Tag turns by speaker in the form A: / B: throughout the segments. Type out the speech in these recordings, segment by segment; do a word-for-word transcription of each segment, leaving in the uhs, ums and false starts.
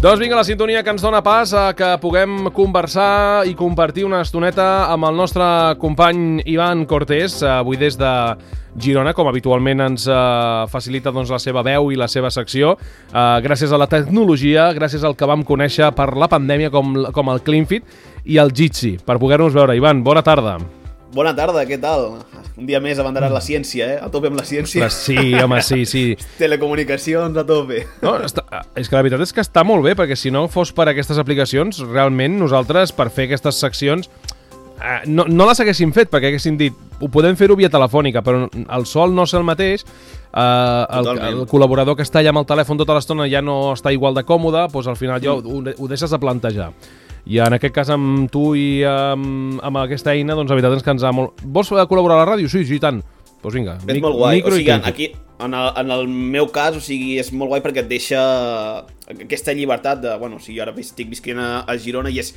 A: Doncs vinga, la sintonia que ens dona pas a que puguem conversar i compartir una estoneta amb el nostre company Ivan Cortés, avui des de Girona, com habitualment ens eh, facilita doncs, la seva veu i la seva secció, eh, gràcies a la tecnologia, gràcies al que vam conèixer per la pandèmia com, com el CleanFit i el Jitsi, per poder-nos veure. Ivan, bona tarda.
B: Bona tarda, què tal? Un dia més abanderat la ciència, eh? A tope amb la ciència.
A: Ostres, sí, home, sí, sí.
B: Telecomunicacions a tope.
A: No, està, és que la veritat és que està molt bé, perquè si no fos per aquestes aplicacions, realment nosaltres, per fer aquestes seccions, eh, no, no les haguéssim fet, perquè haguéssim dit, ho podem fer-ho via telefònica, però el sol no és el mateix, eh, el, el col·laborador que està allà amb el telèfon tota l'estona ja no està igual de còmode, doncs al final ja ho, ho deixes de plantejar. I en aquest cas amb tu i amb, amb aquesta eina, doncs la veritat és que ens ha molt... Vols col·laborar a la ràdio? Sí, sí, tant. Doncs pues vinga.
B: És molt guai. O sigui, aquí, en el, en el meu cas, o sigui, és molt guai perquè et deixa aquesta llibertat de... Bueno, o sigui, ara estic visquent a, a Girona i és...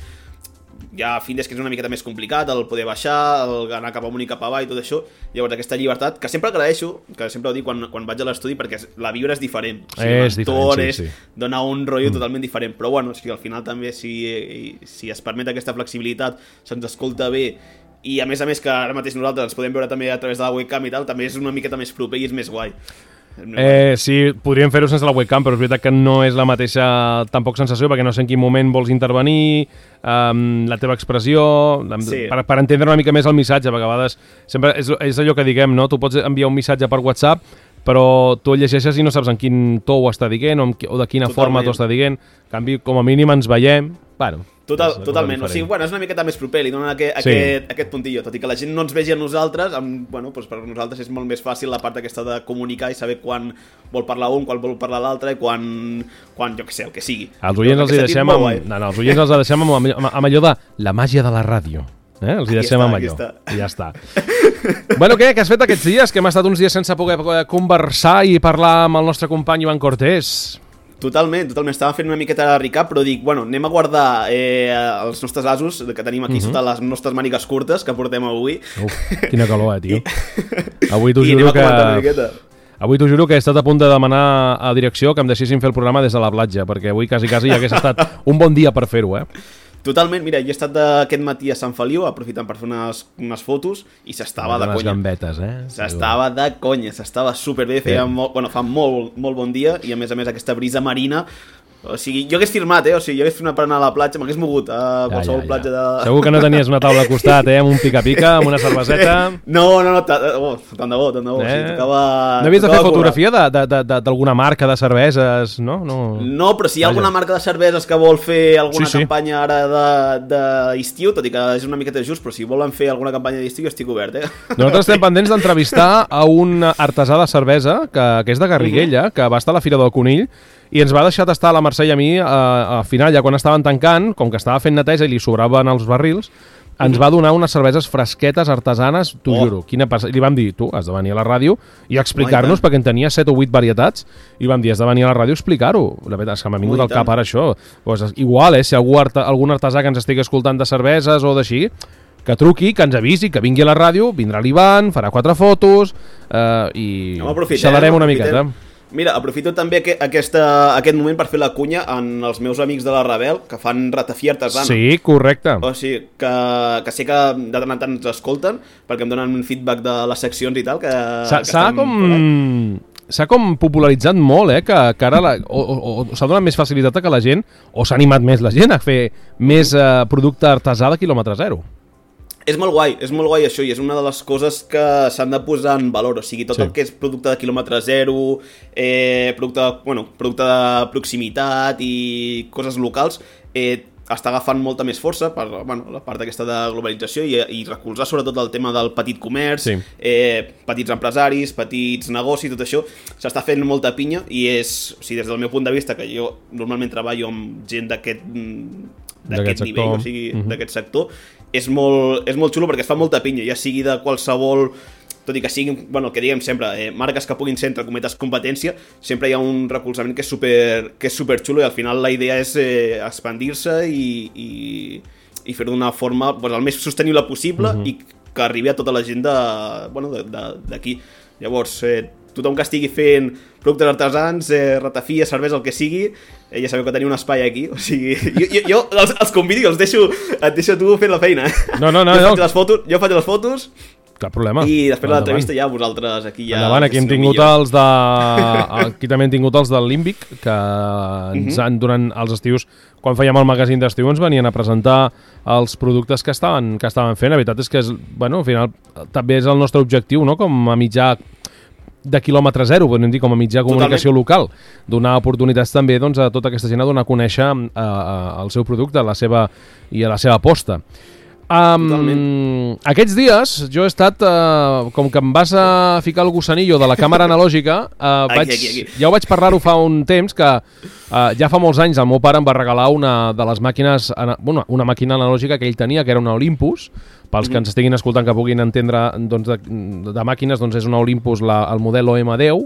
B: Ja a fin des que és una miqueta més complicat el poder baixar, el anar cap amunt i cap avall i tot això, llavors aquesta llibertat que sempre agraeixo, que sempre ho dic quan, quan vaig a l'estudi, perquè la vibra és diferent, o sigui,
A: és diferent, sí, sí.
B: Dona un rotllo mm. totalment diferent, però bueno, o sigui, al final també si, si es permet aquesta flexibilitat, se'ns escolta bé i a més a més que ara mateix nosaltres ens podem veure també a través de la webcam i tal, també és una miqueta més proper i és més guai.
A: Eh, sí, podríem fer-ho sense la webcam, però és veritat que no és la mateixa tampoc sensació, perquè no sé en quin moment vols intervenir, um, la teva expressió, sí. per, per entendre una mica més el missatge, perquè a vegades sempre és, és allò que diguem, no? Tu pots enviar un missatge per WhatsApp, però tu el llegeixes i no saps en quin to ho està dient o, o de quina Totalment. forma t'ho està dient. En canvi, com a mínim ens veiem, bueno...
B: Total, totalment, o sigui, bueno, és una miqueta més proper, li donen aquest, sí. aquest, aquest puntillo, tot i que la gent no ens vegi a nosaltres, amb, bueno, doncs per nosaltres és molt més fàcil la part aquesta de comunicar i saber quan vol parlar un, quan vol parlar l'altre i quan, quan, jo què sé, el que sigui.
A: Els oients els hi deixem amb, no, no, els oients els deixem amb, amb, amb allò de la màgia de la ràdio. Eh? Els hi deixem amb allò. I ja està. Bueno, què? Què has fet aquests dies? Que hem estat uns dies sense poder conversar i parlar amb el nostre company Ivan Cortés.
B: Totalment, totalment. Estava fent una miqueta de recap, però dic, bueno, anem a guardar eh, els nostres asos que tenim aquí uh-huh. sota les nostres mànigues curtes que portem avui.
A: Uf, quina calor, eh, tio. I... Avui t'ho juro que... Avui t'ho juro que he estat a punt de demanar a direcció que em deixessin fer el programa des de la platja, perquè avui quasi, quasi ja hagués estat un bon dia per fer-ho, eh?
B: Totalment, mira, jo he estat aquest matí a Sant Feliu aprofitant per fer unes, unes fotos i s'estava de conya.
A: Unes gambetes, eh?
B: S'estava de conya, s'estava superbé, feia molt, bueno, fa molt, molt bon dia i a més a més aquesta brisa marina. O sigui, jo hagués firmat, eh? O sigui, jo hagués firmat per anar a la platja, m'hagués mogut a qualsevol ja, ja, ja. platja de...
A: Segur que no tenies una taula al costat, eh? Amb un pica-pica, amb una cerveseta...
B: No, no, no, oh, tant de bo, tant de bo. Eh? O sigui, tocava...
A: No havies de fer fotografia d'alguna marca de cerveses, no? No,
B: no però si hi ha alguna marca de cerveses que vol fer alguna sí, sí. campanya ara d'estiu, tot i que és una miqueta just, però si volen fer alguna campanya d'estiu, estic obert, eh?
A: Nosaltres estem pendents d'entrevistar a un artesà de cervesa, que, que és de Garriguella, uh-huh. que va estar a la Fira del Conill, i ens va deixar tastar a la Mercè i a mi, a, a final, ja quan estaven tancant, com que estava fent neteja i li sobraven els barrils, ens va donar unes cerveses fresquetes, artesanes, t'ho oh. juro. Quina passa... Li vam dir, tu, has de venir a la ràdio i explicar-nos, oh, perquè en tenia set o vuit varietats, i vam dir, has de venir a la ràdio a explicar-ho. La veritat és que m'ha vingut al cap ara això. Pues, igual, eh, si algú art algun artesà que ens estigui escoltant de cerveses o d'així, que truqui, que ens avisi, que vingui a la ràdio, vindrà l'Ivan, farà quatre fotos eh, i no, xalarem una miqueta.
B: Mira, aprofito també que aquesta, aquest moment per fer la cunya en els meus amics de la Rebel, que fan ratafia artesana.
A: Sí, correcte.
B: O sigui, que, que sé que de tant en tant ens escolten, perquè em donen un feedback de les seccions i tal, que...
A: S'ha com... S'ha com popularitzat molt, eh, que, que ara la, o, o, o s'ha donat més facilitat que la gent, o s'ha animat més la gent a fer més eh, producte artesà de quilòmetre zero.
B: És molt guai, és molt guai això i és una de les coses que s'han de posar en valor, o sigui, tot sí. el que és producte de quilòmetre zero, eh, producte, bueno, producte de proximitat i coses locals, eh, està agafant molta més força per bueno, la part aquesta de globalització i, i recolzar sobretot el tema del petit comerç, sí. eh, petits empresaris, petits negocis, tot això s'està fent molta pinya i és, o sigui, des del meu punt de vista, que jo normalment treballo amb gent d'aquest d'aquest nivell, o sigui, uh-huh. d'aquest sector, és molt, és molt xulo perquè es fa molta pinya, ja sigui de qualsevol, tot i que siguin, bueno, el que diguem sempre, eh, marques que puguin ser entre cometes competència, sempre hi ha un recolzament que és super, que és super xulo i al final la idea és eh, expandir-se i, i, i fer-ho d'una forma pues, el més sostenible possible uh-huh. i que arribi a tota la gent de, bueno, d'aquí. Llavors, eh, tothom que estigui fent productes artesans, eh, ratafia, cervesa, el que sigui, eh, ja sabeu que teniu un espai aquí, o sigui, jo, jo, jo els, els convido i els deixo, et deixo tu fent la feina.
A: No, no, no.
B: Jo
A: no.
B: faig les fotos, jo faig les fotos,
A: cap problema.
B: i després de l'entrevista ja vosaltres aquí ja...
A: Endavant, aquí hem tingut
B: millor.
A: els de... Aquí també hem tingut els del Límbic, que ens
B: Mhm.
A: han, durant els estius, quan fèiem el magazín d'estiu, ens venien a presentar els productes que estaven, que estaven fent. La veritat és que, és, bueno, al final, també és el nostre objectiu, no?, com a mitjà de quilòmetre zero, podem dir, com a mitjà de comunicació local, donar oportunitats també doncs, a tota aquesta gent a donar a conèixer uh, uh, el seu producte, la seva, i a la seva aposta. Um, aquests dies jo he estat, uh, com que em vas a ficar el gussanillo de la càmera analògica, uh,
B: Aquí,
A: vaig,
B: aquí, aquí.
A: ja ho vaig parlar-ho fa un temps, que uh, ja fa molts anys el meu pare em va regalar una de les màquines, bueno, una màquina analògica que ell tenia, que era una Olympus. Pels que ens estiguin escoltant, que puguin entendre doncs, de, de màquines, doncs és una Olympus, la, el model O M deu.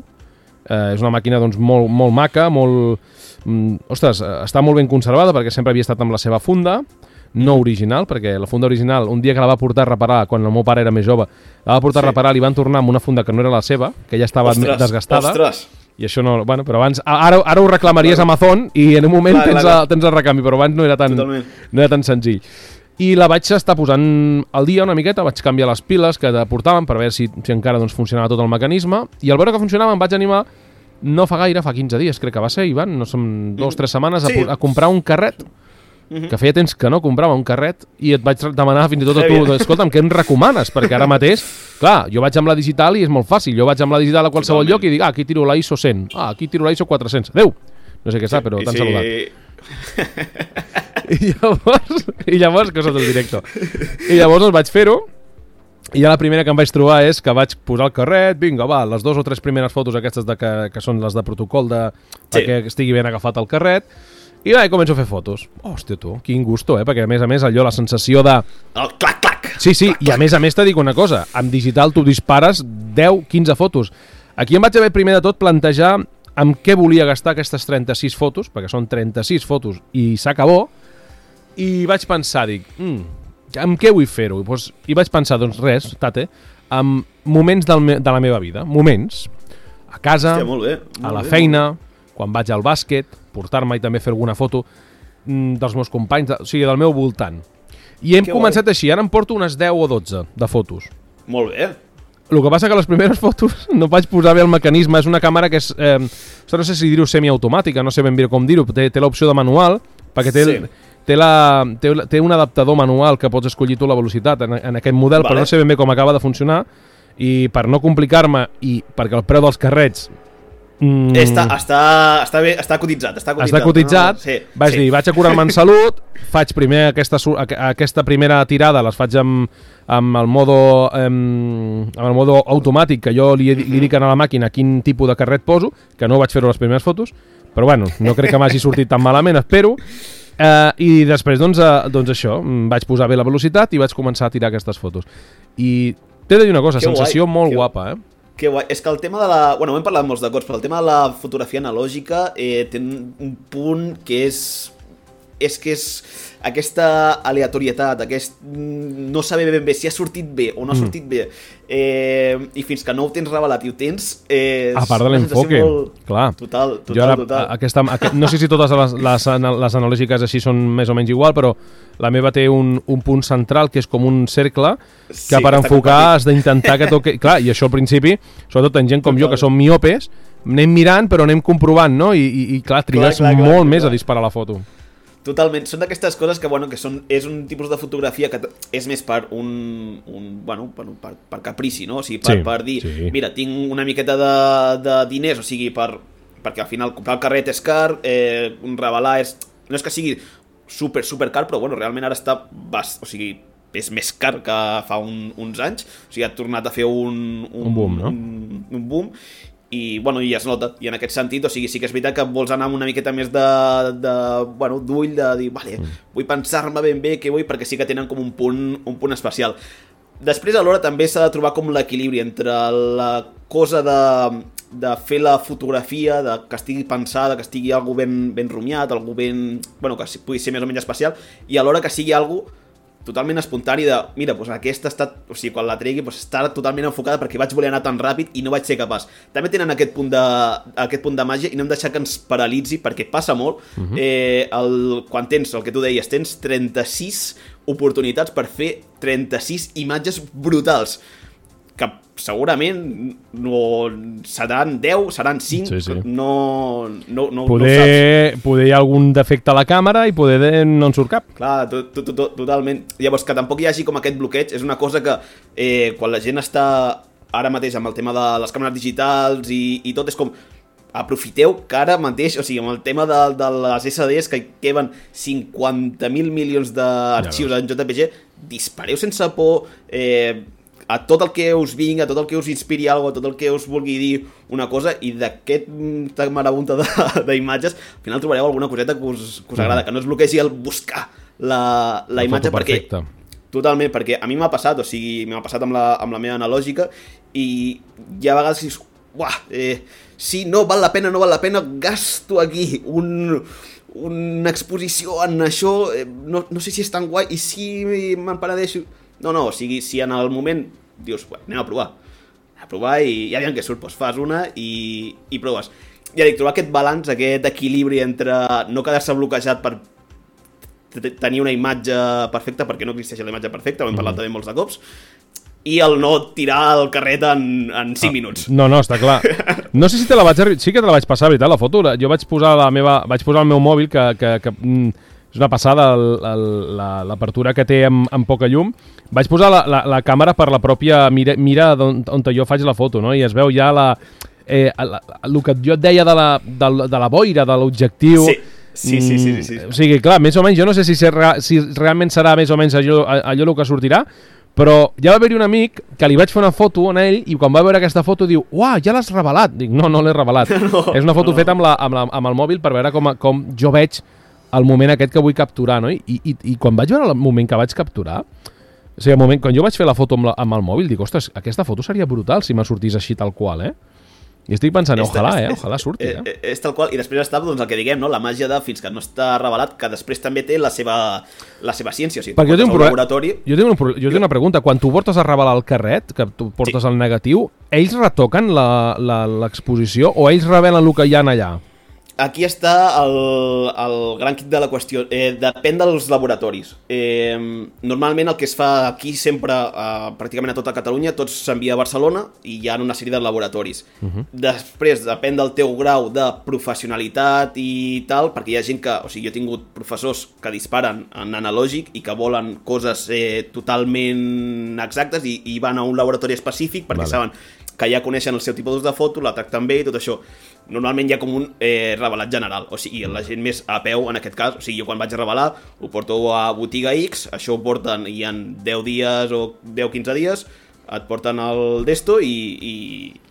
A: Eh, és una màquina doncs, molt, molt maca, molt... Mm, ostres, està molt ben conservada perquè sempre havia estat amb la seva funda, no original, perquè la funda original, un dia que la va portar a reparar, quan el meu pare era més jove, la va portar sí. a reparar, li van tornar amb una funda que no era la seva, que ja estava ostres, desgastada.
B: Ostres.
A: I això no... Bueno, però abans... Ara, ara ho reclamaries a Amazon i en un moment clar, tens, clar, clar. A, tens el recanvi, però abans no era tan, no era tan senzill. I la vaig estar posant al dia una miqueta, vaig canviar les piles que portaven per veure si, si encara doncs, funcionava tot el mecanisme, i al veure que funcionava em vaig animar, no fa gaire, fa quinze dies crec que va ser, Ivan, no som dos o tres setmanes, sí. a, a comprar un carret, mm-hmm. que feia temps que no comprava un carret, i et vaig demanar fins i tot a tu, escolta'm, què em recomanes? Perquè ara mateix, clar, jo vaig amb la digital i és molt fàcil, jo vaig amb la digital a qualsevol Totalment. lloc i dic, ah, aquí tiro la I S O cent, ah, aquí tiro la I S O quatre-cents, adeu! No sé què està, però t'han sí. saludat. I llavors, i llavors, coses del directe. I llavors doncs vaig fer-ho, i ja la primera que em vaig trobar és que vaig posar el carret, vinga, va, les dues o tres primeres fotos aquestes de que, que són les de protocol de, sí. de que estigui ben agafat el carret, i va, i començo a fer fotos. Hòstia, tu, quin gusto, eh? Perquè a més a més allò, la sensació de...
B: El clac, clac!
A: Sí, sí,
B: clac,
A: i a més a més t'he dic una cosa, amb digital tu dispares deu quinze fotos. Aquí em vaig haver primer de tot plantejar amb què volia gastar aquestes trenta-sis fotos, perquè són trenta-sis fotos i s'acabó, i vaig pensar, dic, mm, amb què vull fer-ho? I, doncs, I vaig pensar, doncs res, tate, amb moments del me de la meva vida, moments, a casa,
B: Hòstia, molt bé, molt
A: a la
B: bé,
A: feina, quan vaig al bàsquet, portar-me i també fer alguna foto mm, dels meus companys, de, o sigui, del meu voltant. I hem que començat guai. Així, ara em porto unes deu o dotze de fotos.
B: Molt bé.
A: El que passa que les primeres fotos no vaig posar bé el mecanisme, és una càmera que és, eh, no sé si dir-ho semiautomàtica, no sé ben bé com dir-ho, té, té l'opció de manual, perquè té, sí. té, la, té, té un adaptador manual que pots escollir tu la velocitat en, en aquest model, vale. Però no sé ben bé com acaba de funcionar, i per no complicar-me, i perquè el preu dels carrets...
B: Mm, està, està, està, bé, està cotitzat, està cotitzat.
A: Està cotitzat, no? sí, vaig sí. dir, vaig a curar-me en salut, faig primer aquesta, aquesta primera tirada, les faig amb, amb, el modo, amb, amb el modo automàtic, que jo li, li dic a la màquina quin tipus de carret poso, que no vaig fer-ho les primeres fotos, però bueno, no crec que m'hagi sortit tan malament, espero. Eh, I després, doncs, eh, doncs això, vaig posar bé la velocitat i vaig començar a tirar aquestes fotos. I t'he de dir una cosa, que sensació guai, molt que... guapa, eh?
B: Que guai. És que el tema de la... Bueno, ho hem parlat molts de cops, però el tema de la fotografia analògica eh, té un punt que és... És que és aquesta aleatorietat, aquest no saber ben bé si ha sortit bé o no ha sortit mm. bé, eh, i fins que no ho tens revelat i ho tens... Eh,
A: a part de l'enfoque, molt... clar.
B: Total, total,
A: jo ara,
B: total.
A: Aquesta, aquest, no sé si totes les, les, les analògiques així són més o menys igual, però la meva té un, un punt central que és com un cercle que sí, per enfocar has d'intentar que toqui... Clar, i això al principi, sobretot en gent com total. Jo, que som miopes, anem mirant però anem comprovant, no? I, i, i clar, trigues clar, clar, molt clar, més clar. A disparar la foto.
B: Totalment, són d'aquestes coses que, bueno, que són, és un tipus de fotografia que és més per un, un bueno, per, per, per caprici, no? O sigui, per, sí, per dir, sí. Mira, tinc una miqueta de, de diners, o sigui, per, perquè al final comprar el carret és car, eh, revelar és... No és que sigui super, super car, però bueno, realment ara està... Bas, o sigui, és més car que fa un, uns anys, o sigui, ha tornat a fer un...
A: Un, un boom, no?
B: Un, un boom, i, bueno, i es nota, i en aquest sentit, o sigui, sí que és veritat que vols anar amb una miqueta més de, de bueno, d'ull, de dir, vale, mm. vull pensar-me ben bé què vull, perquè sí que tenen com un punt, un punt especial. Després, alhora, també s'ha de trobar com l'equilibri entre la cosa de, de fer la fotografia, de que estigui pensada, que estigui algo ben, ben rumiat, algo ben... Bueno, que pugui ser més o menys especial, i alhora que sigui algo totalment espontani de, mira, doncs aquesta està, o sigui, quan la tregui doncs està totalment enfocada perquè vaig voler anar tan ràpid i no vaig ser capaç. També tenen aquest punt de, aquest punt de màgia i no hem de deixar que ens paralitzi perquè passa molt. Uh-huh. eh, el, quan tens, el que tu deies, tens trenta-sis oportunitats per fer trenta-sis imatges brutals que segurament no seran deu, seran cinc, sí, sí. no, no, no,
A: poder,
B: no saps.
A: Poder hi ha algun defecte a la càmera i poder no en surt cap.
B: Clar, to, to, to, totalment. Llavors, que tampoc hi hagi com aquest bloqueig, és una cosa que eh, quan la gent està ara mateix amb el tema de les càmeres digitals i, i tot, és com aprofiteu que ara mateix, o sigui, amb el tema de, de les esse de es, que queden cinquanta mil milions d'arxius ja en J P G, dispareu sense por, eh, a tot el que us vingui, a tot el que us inspiri alguna cosa, a tot el que us vulgui dir una cosa, i d'aquest marabunta d'imatges, al final trobareu alguna coseta que us, que us agrada, que no es bloquegi el buscar la, la, la imatge, perquè totalment, perquè a mi m'ha passat, o sigui, m'ha passat amb la, amb la meva analògica, i hi ha vegades que dius, uah, eh, sí, no val la pena, no val la pena, gasto aquí un... una exposició en això, eh, no, no sé si és tan guai, i si me'n penedeixo. No, no, o sigui, si en el moment dius, bueno, anem a provar, a provar i ja veiem què surt, doncs fas una i, i proves. Ja dic, trobar aquest balanç, aquest equilibri entre no quedar-se bloquejat per tenir una imatge perfecta, perquè no existeix la imatge perfecta, ho hem parlat mm. també molts de cops, i el no tirar el carret en, en cinc ah, minuts.
A: No, no, està clar. No sé si te la vaig... Sí que te la vaig passar, veritat, la foto. Jo vaig posar la meva... vaig posar el meu mòbil, que... que, que mm, és una passada l'apertura que té amb, amb poca llum. Vaig posar la, la, la càmera per la pròpia mira, mira on, on jo faig la foto, no? I es veu ja la, eh, la, el que jo et deia de la, de, de la boira, de l'objectiu.
B: Sí. Sí, sí, sí, sí, sí.
A: Mm, o sigui, clar, més o menys, jo no sé si, ser, si realment serà més o menys allò, allò el que sortirà, però ja va haver-hi un amic que li vaig fer una foto a ell i quan va veure aquesta foto diu, uah, ja l'has revelat. Dic, no, no l'he revelat. No, és una foto no. feta amb, la, amb, la, amb el mòbil per veure com, com jo veig el moment aquest que vull capturar, no? I, i, i quan vaig veure el moment que vaig capturar, o sigui, el moment, quan jo vaig fer la foto amb, la, amb el mòbil, dic, ostres, aquesta foto seria brutal si me sortís així tal qual, eh? I estic pensant, és, ojalà, eh? Ojalà surti, eh?
B: És, és tal qual, i després està doncs, el que diguem, no? La màgia de fins que no està revelat, que després també té la seva, la seva ciència. O sigui,
A: perquè jo tinc, un laboratori... jo, tinc un, jo tinc una pregunta. Quan tu portes a revelar el carret, que tu portes sí. el negatiu, ells retoquen l'exposició o ells revelen el que hi ha allà?
B: Aquí està el, el gran kit de la qüestió. Eh, depèn dels laboratoris. Eh, normalment el que es fa aquí sempre, eh, pràcticament a tota Catalunya, tots s'envia a Barcelona i hi ha una sèrie de laboratoris. Uh-huh. Després depèn del teu grau de professionalitat i tal, perquè hi ha gent que... O sigui, jo he tingut professors que disparen en analògic i que volen coses eh, totalment exactes i, i van a un laboratori específic perquè vale. saben que ja coneixen el seu tipus de foto, la tracten bé i tot això. Normalment hi ha com un eh, revelat general, o sigui, la gent més a peu en aquest cas, o sigui, jo quan vaig a revelar ho porto a botiga X, això ho porten i en deu dies o deu a quinze dies, et porten el d'esto i, i,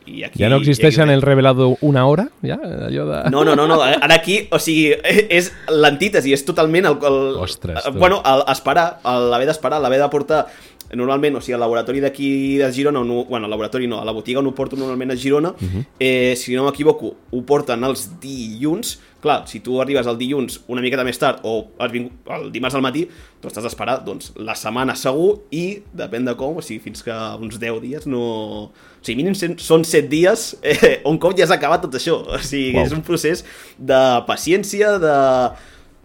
B: i aquí...
A: Ja no existeix en el revelado una hora? Ja? Allò de...
B: No, no, no, no, ara aquí, o sigui, és l'antítesi, és totalment el... el
A: Ostres,
B: tu. Bueno, el, esperar, l'haver d'esperar, l'haver de portar... Normalment, o sigui, al laboratori d'aquí de Girona, no, bueno, al laboratori no, a la botiga on ho porto normalment a Girona, uh-huh. eh, si no m'equivoco, ho porten els dilluns. Clar, si tu arribes el dilluns una miqueta més tard o el dimarts al matí, doncs t'has d'esperar doncs, la setmana segur i, depèn de com, o sigui, fins que uns deu dies no... O sigui, mínim són set dies eh, un cop ja has acabat tot això. O sigui, wow. és un procés de paciència, de...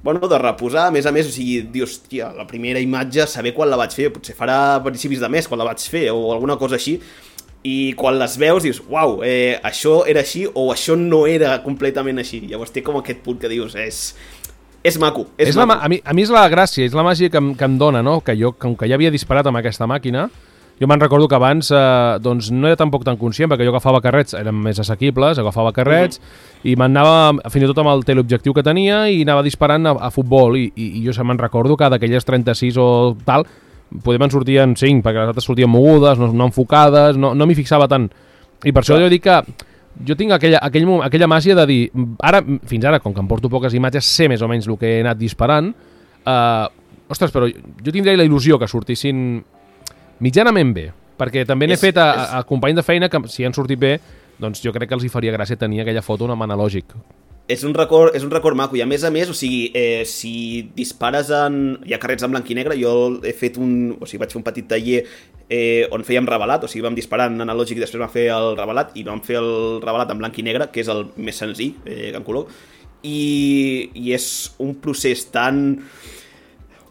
B: Bueno, de reposar, a més a més, o sigui, dius, tia, la primera imatge, saber quan la vaig fer, potser farà principis de mes quan la vaig fer, o alguna cosa així, i quan les veus dius, uau, eh, això era així, o això no era completament així. Llavors té com aquest punt que dius, és... És maco, és, és maco.
A: La, a, mi, a mi és la gràcia, és la màgia que, que em dona, no? Que jo, com que ja havia disparat amb aquesta màquina, jo me'n recordo que abans eh, doncs no era tampoc tan conscient, perquè jo agafava carrets, eren més assequibles, agafava carrets, uh-huh. i m'anava, fins i tot amb el teleobjectiu que tenia, i anava disparant a, a futbol, i, i, i jo me'n recordo que d'aquelles trenta-sis o tal, podem en sortien cinc, perquè les altres sortien mogudes, no, no enfocades, no, no m'hi fixava tant. I per això jo dic que jo tinc aquella, aquell, aquella màgia de dir, ara, fins ara, com que em porto poques imatges, sé més o menys el que he anat disparant, eh, ostres, però jo tindria la il·lusió que sortissin mitjanament bé, perquè també n'he fet a, a, a companys de feina que si han sortit bé, doncs jo crec que els hi faria gràcia tenir aquella foto amb analògic.
B: És un record, és un record maco, i a més a més, o sigui, eh, si dispares en... Hi ha carrets en blanc i negre, jo he fet un... O sigui, vaig fer un petit taller eh, on fèiem revelat, o sigui, vam disparar en analògic i després vam fer el revelat, i vam fer el revelat en blanc i negre, que és el més senzill, eh, que en color, i, i és un procés tan...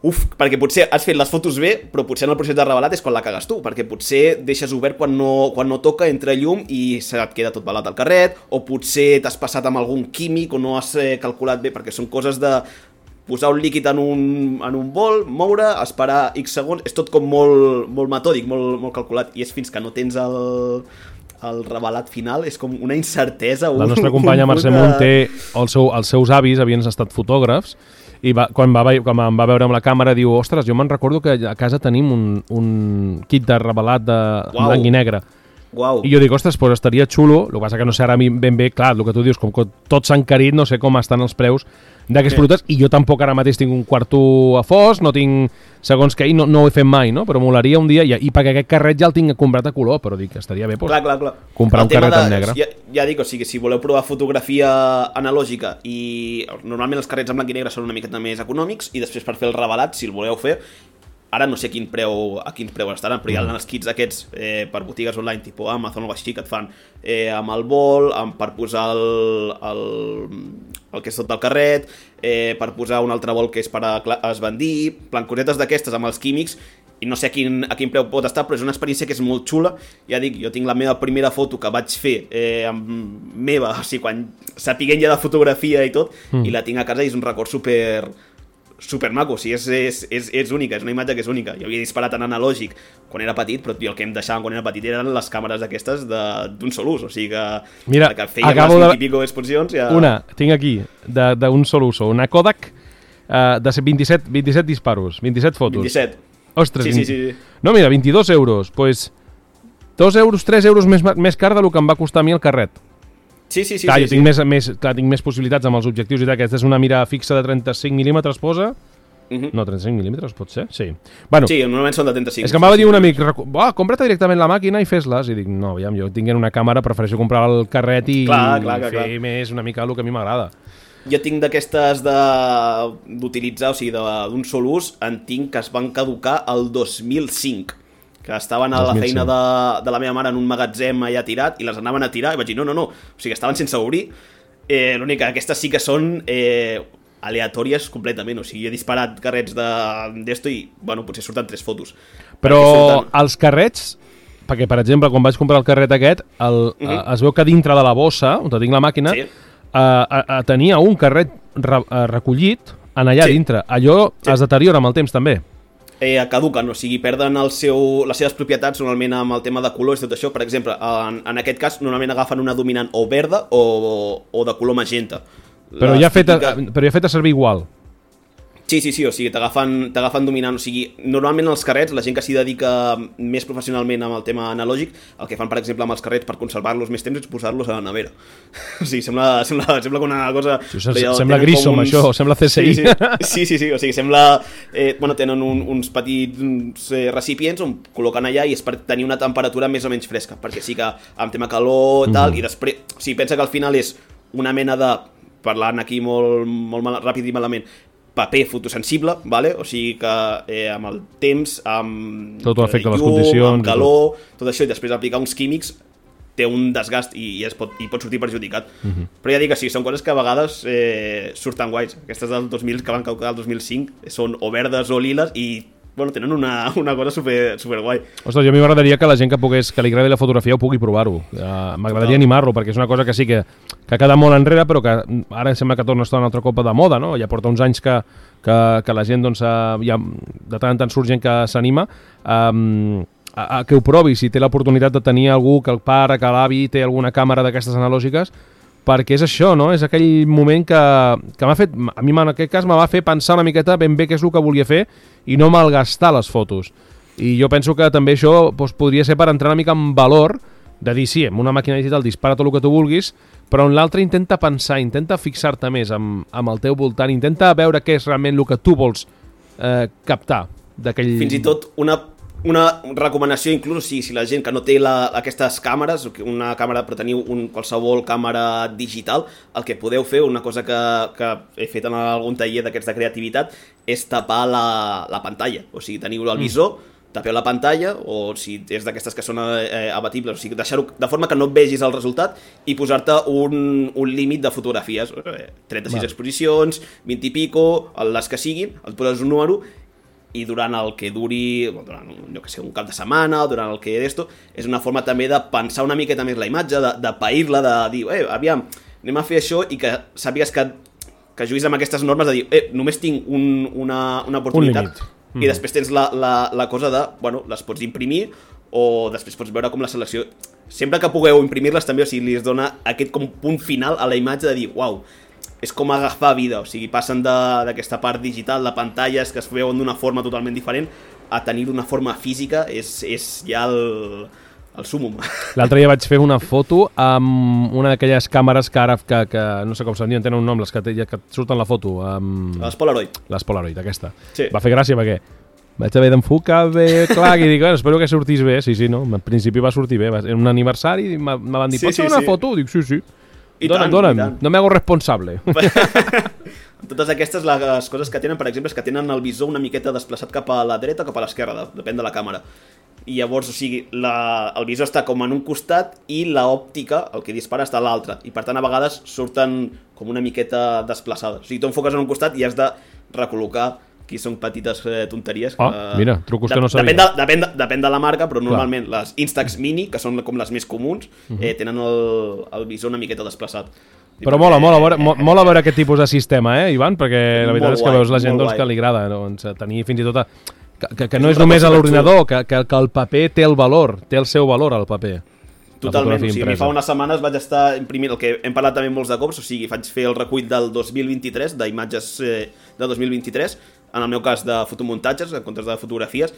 B: Uf, perquè potser has fet les fotos bé, però potser en el procés de revelat és quan la cagues tu, perquè potser deixes obert quan no, quan no toca, entra llum i se't queda tot balat al carret, o potser t'has passat amb algun químic o no has eh, calculat bé, perquè són coses de posar un líquid en un, en un bol, moure, esperar X segons, és tot com molt, molt metòdic, molt, molt calculat, i és fins que no tens el... el revelat final, és com una incertesa.
A: La nostra companya Mercè Munt té el seu, els seus avis havien estat fotògrafs i va, quan, va, quan em va veure amb la càmera diu, ostres, jo me'n recordo que a casa tenim un, un kit de revelat de
B: Uau.
A: blanc i negre.
B: Uau.
A: I jo dic, ostres, pues estaria xulo, el que passa que no sé ara ben bé, clar, el que tu dius, com que tot s'ha encarit, no sé com estan els preus d'aquests sí. productes, i jo tampoc ara mateix tinc un quarto a fos, no tinc segons què, i no, no ho he fet mai, no? Però molaria un dia, i, i perquè aquest carret ja el tinc comprat a color, però dic que estaria bé pues,
B: clar, clar, clar.
A: comprar el un carret de, en negre.
B: Ja, ja dic, o sigui, si voleu provar fotografia analògica, i normalment els carrets en blanc i negre són una miqueta més econòmics, i després per fer el revelat, si el voleu fer, ara no sé a quin preu, a quin preu estaran, però hi ha els kits aquests eh, per botigues online, tipus Amazon o així, que et fan eh, amb el bol, amb, per posar el, el, el que és tot del carret, eh, per posar un altre bol que és per a esbandir, plan cosetes d'aquestes amb els químics, i no sé a quin, a quin preu pot estar, però és una experiència que és molt xula. Ja dic, jo tinc la meva primera foto que vaig fer eh, amb meva, o sigui, quan sapiguent ja de fotografia i tot, mm. i la tinc a casa i és un record super... super maco, o sigui, és, és, és, és única, és una imatge que és única. Jo havia disparat en analògic quan era petit, però el que em deixaven quan era petit eren les càmeres aquestes d'un sol ús, o sigui que,
A: mira,
B: que fèiem les vint i pico exposicions ja...
A: Una, tinc aquí, d'un sol uso, una Kodak uh, de vint-i-set, vint-i-set disparos, vint-i-set fotos.
B: vint-i-set.
A: Ostres,
B: sí, sí, sí, sí.
A: No, mira, vint-i-dos euros, doncs pues, dos euros, tres euros més, més car del que em va costar a mi el carret.
B: Sí, sí, sí.
A: Clar,
B: sí,
A: jo tinc,
B: sí.
A: Més, més, clar, tinc més possibilitats amb els objectius i tal. Aquesta és una mira fixa de trenta-cinc mil·límetres, posa? Uh-huh. No, trenta-cinc mil·límetres, pot ser? Sí. Bueno,
B: sí, normalment són de trenta-cinc.
A: És que em va dir un amic, oh, compra't directament la màquina i fes-les. I dic, no, aviam, jo tinguent una càmera, prefereixo comprar el carret i,
B: clar, clar,
A: i
B: clar,
A: fer
B: clar.
A: més una mica el que a mi m'agrada.
B: Jo tinc d'aquestes d'utilitzar, o sigui, d'un sol ús, en tinc que es van caducar el dos mil cinc. Que estaven a la feina de, de la meva mare en un magatzem allà tirat i les anaven a tirar i vaig dir, no, no, no, o sigui, estaven sense obrir. Eh, L'únic que aquestes sí que són eh, aleatòries completament, o sigui, he disparat carrets d'esto i, bueno, potser surten tres fotos.
A: Però surten... els carrets, perquè, per exemple, quan vaig comprar el carret aquest, el, uh-huh. es veu que dintre de la bossa, on tinc la màquina, sí. eh, eh, tenia un carret re, eh, recollit en allà sí. dintre. Allò sí. es deteriora amb el temps, també.
B: Eh, caduquen, o sigui, perden el seu, les seves propietats normalment amb el tema de colors i tot això. Per exemple, en, en aquest cas normalment agafen una dominant o verda o, o de color magenta.
A: Però ja, feta, típica... però ja feta servir igual.
B: Sí, sí, sí, o sigui, t'agafen t'agafen dominant, o sigui, normalment els carrets, la gent que s'hi dedica més professionalment amb el tema analògic, el que fan, per exemple, amb els carrets per conservar-los més temps és posar-los a la nevera. O sigui, sembla, sembla, sembla com una cosa...
A: Sí, sembla Grissom, uns... això, sembla C S I.
B: Sí, sí, sí, sí, sí, o sigui, sembla... Eh, bueno, tenen un, uns petits uns, eh, recipients on col·loquen allà i és per tenir una temperatura més o menys fresca, perquè sí que amb tema calor i tal, mm. i després... O sigui, pensa que al final és una mena de... Parlant aquí molt, molt mal, ràpid i malament, paper fotosensible, vale? O sigui que eh, amb el temps, amb
A: tot afecta
B: llum,
A: les condicions,
B: amb calor, tot. tot això, i després aplicar uns químics té un desgast i, i, es pot, i pot sortir perjudicat. Uh-huh. Però ja dic que sí, són coses que a vegades eh, surten guais. Aquestes del dos mil que van caducar el dos mil cinc són o verdes o liles i bueno, tenen una, una cosa super, super guai.
A: Ostres, jo a mi m'agradaria que la gent que pogués, que li agradi la fotografia ho pugui provar-ho. Uh, m'agradaria animar-lo, perquè és una cosa que sí que, que ha quedat molt enrere, però que ara sembla que torna a estar una altra copa de moda, no? Ja porta uns anys que, que, que la gent, doncs, uh, ja, de tant en tant surt gent que s'anima. Um, a, a que ho provi, si té l'oportunitat de tenir algú, que el pare, que l'avi té alguna càmera d'aquestes analògiques, perquè és això, no? És aquell moment que, que m'ha fet, a mi en aquest cas me va fer pensar una miqueta ben bé què és el que volia fer i no malgastar les fotos. I jo penso que també això doncs, podria ser per entrar una mica en valor de dir, sí, amb una màquina digital dispara tot el que tu vulguis, però en l'altre intenta pensar, intenta fixar-te més amb, amb el teu voltant, intenta veure què és realment el que tu vols eh, captar d'aquell...
B: Fins i tot una, Una recomanació, inclús, si, si la gent que no té la, aquestes càmeres, una càmera, però teniu un, qualsevol càmera digital, el que podeu fer, una cosa que, que he fet en algun taller d'aquests de creativitat, és tapar la, la pantalla. O sigui, teniu el visor, tapeu la pantalla, o si és d'aquestes que són eh, abatibles, o sigui, deixar-ho de forma que no vegis el resultat i posar-te un, un límit de fotografies, eh, trenta-sis vale. Exposicions, vint i pico, les que siguin, et poses un número i durant el que duri, durant jo que sé, un cap de setmana, o durant el que d'esto, és una forma també de pensar una miqueta més la imatge, de, de pair-la, de dir, eh, aviam, anem a fer això, i que sàpigues que, que juguis amb aquestes normes de dir, eh, només tinc un, una, una oportunitat, un i mm. després tens la, la, la cosa de, bueno, les pots imprimir, o després pots veure com la selecció, sempre que pugueu imprimir-les també, o sigui, li dona aquest com punt final a la imatge de dir, uau, és com agafar vida, o sigui, passen d'aquesta part digital, de pantalles que es veuen d'una forma totalment diferent, a tenir una forma física, és, és ja el, el súmum.
A: L'altre dia vaig fer una foto amb una d'aquelles càmeres que ara, que, que no sé com se'n diuen, tenen un nom, les que, que et surten la foto. Amb...
B: Les Polaroid.
A: Les Polaroid, aquesta.
B: Sí.
A: Va fer gràcia perquè vaig haver d'enfocar bé, clar, i dic, bueno, espero que sortís bé. Sí, sí, no, al principi va sortir bé. Era un aniversari i me van dir, sí, pots fer sí, una sí. foto? Dic, sí, sí.
B: I
A: dona'm,
B: tant,
A: dona'm,
B: i tant.
A: no m'hago responsable.
B: Totes aquestes, les coses que tenen, per exemple, és que tenen el visor una miqueta desplaçat cap a la dreta o cap a l'esquerra, depèn de la càmera. I llavors, o sigui, la, el visor està com en un costat i l'òptica, el que dispara, està a l'altre. I per tant, a vegades surten com una miqueta desplaçades. O sigui, tu enfoques en un costat i has de recol·locar. Aquí són petites eh, tonteries. Que,
A: ah, mira, trucos que no sabia.
B: Depèn de, depèn, de, depèn de la marca, però normalment Clar. Les Instax Mini, que són com les més comuns, uh-huh. eh, tenen el, el visor una miqueta desplaçat.
A: Però mola, mola, mola, mola veure aquest tipus de sistema, eh, Ivan? Perquè la veritat és que veus la gent doncs, que li agrada doncs, tenir fins i tot... A, que, que, que no és només a l'ordinador, que, que, que el paper té el valor, té el seu valor, el paper.
B: Totalment, o sigui, a mi fa unes setmanes vaig estar imprimint el que hem parlat també molts de cops, o sigui, vaig fer el recull del dos mil vint-i-tres, d'imatges eh, de dos mil vint-i-tres, en el meu cas de fotomuntatges, en comptes de fotografies,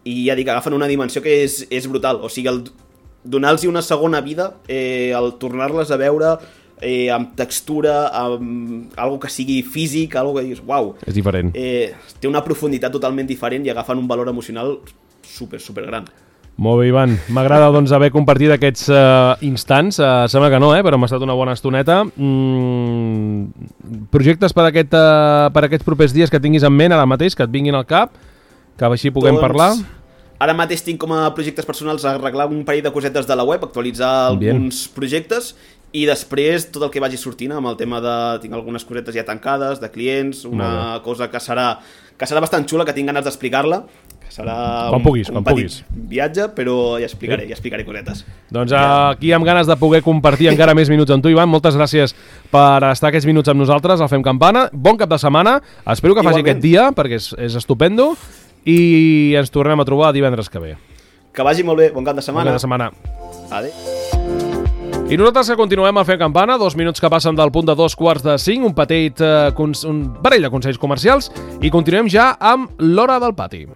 B: i ja dic, agafen una dimensió que és, és brutal, o sigui, el donar-los una segona vida, eh, el tornar-les a veure eh, amb textura, amb algo que sigui físic, algo que dius, uau.
A: És diferent.
B: Eh, té una profunditat totalment diferent i agafen un valor emocional super, super gran.
A: Molt bé, Ivan. M'agrada doncs, haver compartit aquests uh, instants. Uh, sembla que no, eh? Però m'ha estat una bona estoneta. Mm, projectes per, aquest, uh, per aquests propers dies que tinguis en ment ara mateix, que et vinguin al cap, que així puguem doncs, parlar?
B: Ara mateix tinc com a projectes personals arreglar un parell de cosetes de la web, actualitzar
A: Bien.
B: alguns projectes i després tot el que vagi sortint amb el tema de... Tinc algunes cosetes ja tancades, de clients, una cosa que serà, que serà bastant xula, que tinc ganes d'explicar-la. Serà
A: quan puguis,
B: un, un
A: quan
B: petit
A: puguis.
B: viatge, però ja explicaré, ja explicaré cosetes.
A: Doncs aquí amb ganes de poder compartir encara més minuts amb tu, Ivan. Moltes gràcies per estar aquests minuts amb nosaltres al Fem Campana. Bon cap de setmana. Espero que faci Igualment. Aquest dia, perquè és, és estupendo. I ens tornem a trobar divendres que ve.
B: Que vagi molt bé. Bon cap de setmana.
A: Bon cap de setmana.
B: Adéu.
A: I nosaltres que continuem a fer campana, dos minuts que passen del punt de dos quarts de cinc, un petit, eh, un parell de consells comercials, i continuem ja amb l'Hora del Pati.